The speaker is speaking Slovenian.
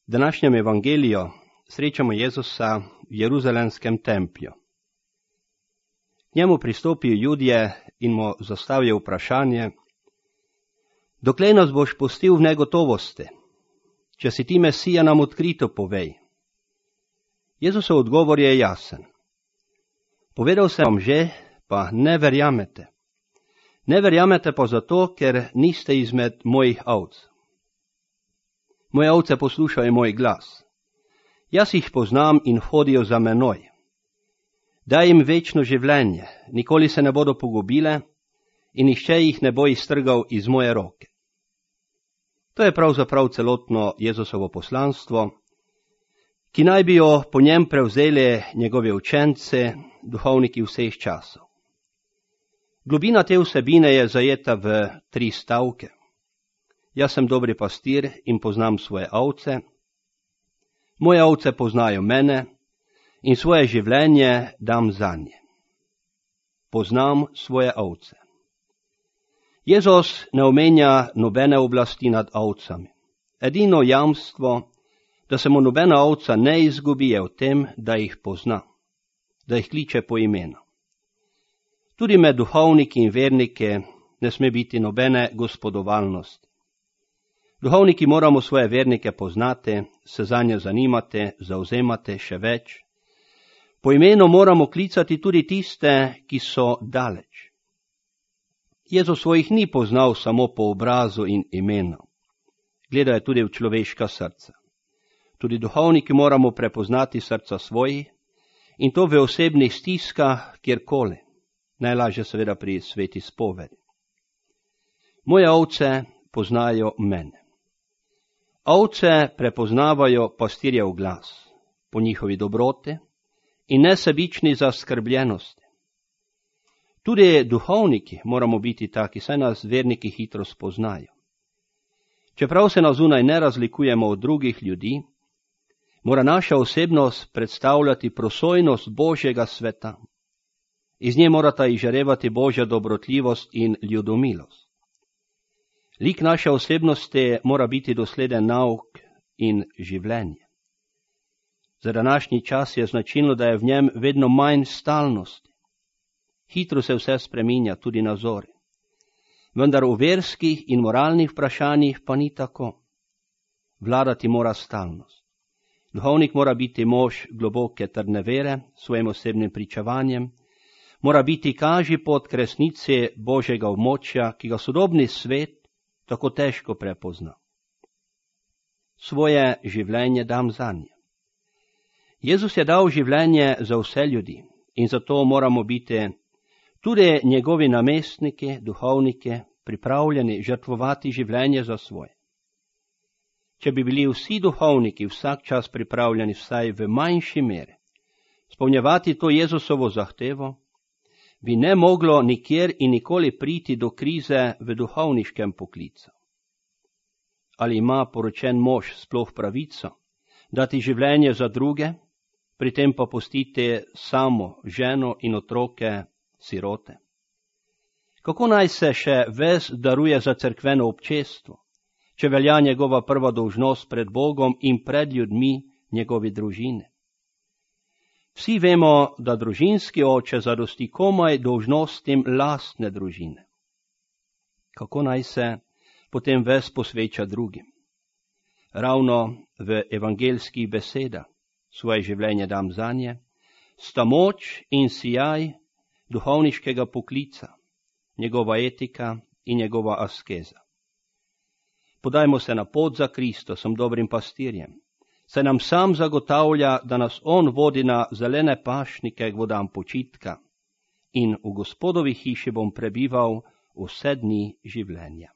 V današnjem evangeliju srečamo Jezusa v Jeruzalemskem templju. K njemu pristopijo Judje in mu zastavijo vprašanje: Doklej nas boš pustil v negotovosti? Če si ti Mesija, nam odkrito povej. Jezusov odgovor je jasen. Povedal sem vam že, pa ne verjamete. Ne verjamete pa zato, ker niste izmed mojih ovc. Moje ovce poslušajo moj glas. Jaz jih poznam in hodijo za menoj. Daj jim večno življenje, nikoli se ne bodo pogubile in nihče jih ne bo iztrgal iz moje roke. To je pravzaprav celotno Jezusovo poslanstvo, ki naj bi jo po njem prevzeli njegovi učenci, duhovniki vseh časov. Globina te vsebine je zajeta v 3 stavke. Jaz sem dobri pastir in poznam svoje ovce. Moje ovce poznajo mene in svoje življenje dam zanje. Poznam svoje ovce. Jezus ne omenja nobene oblasti nad ovcami. Edino jamstvo, da se mu nobena ovca ne izgubi, je v tem, da jih pozna, da jih kliče po imenu. Tudi med duhovniki in verniki ne sme biti nobene gospodovalnosti. Duhovniki moramo svoje vernike poznati, se zanje zanimati, zauzemati še več. Po imenu moramo klicati tudi tiste, ki so daleč. Jezus svojih ni poznal samo po obrazu in imenu. Gledal je tudi v človeška srca. Tudi duhovniki moramo prepoznati srca svojih in to v osebnih stiskah kjerkoli. Najlažje seveda pri sveti spovedi. Moje ovce poznajo mene. Ovce prepoznavajo pastirjev glas po njihovi dobroti in nesebični zaskrbljenosti. Tudi duhovniki moramo biti taki, saj nas verniki hitro spoznajo. Čeprav se na zunaj ne razlikujemo od drugih ljudi, mora naša osebnost predstavljati prosojnost Božjega sveta. Iz nje morata izžarevati Božja dobrotljivost in ljudomilost. Lik naše osebnosti mora biti dosleden nauk in življenje. Za današnji čas je značilno, da je v njem vedno manj stalnosti. Hitro se vse spreminja, tudi nazori. Vendar v verskih in moralnih vprašanjih pa ni tako. Vladati mora stalnost. Duhovnik mora biti mož globoke trdne vere, svojim osebnim pričevanjem, mora biti kažipot k resnici Božjega območja, ki ga sodobni svet tako težko prepozna. Svoje življenje dam zanje. Jezus je dal življenje za vse ljudi in zato moramo biti tudi njegovi namestniki, duhovniki, pripravljeni žrtvovati življenje za svoje. Če bi bili vsi duhovniki vsak čas pripravljeni vsaj v manjši meri izpolnjevati to Jezusovo zahtevo, bi ne moglo nikjer in nikoli priti do krize v duhovniškem poklicu. Ali ima poročen mož sploh pravico dati življenje za druge, pri tem pa pustiti samo ženo in otroke sirote? Kako naj se še ves daruje za cerkveno občestvo, če velja njegova prva dolžnost pred Bogom in pred ljudmi njegovi družine? Vsi vemo, da družinski oče zadosti komaj dolžnostim lastne družine. Kako naj se potem ves posveča drugim? Ravno v evangeljskih besedah svoje življenje dam zanje, sta moč in sijaj duhovniškega poklica, njegova etika in njegova askeza. Podajmo se na pot za Kristusom, dobrim pastirjem. Se nam sam zagotavlja, da nas on vodi na zelene pašnike k vodam počitka in v Gospodovi hiši bom prebival vse dni življenja.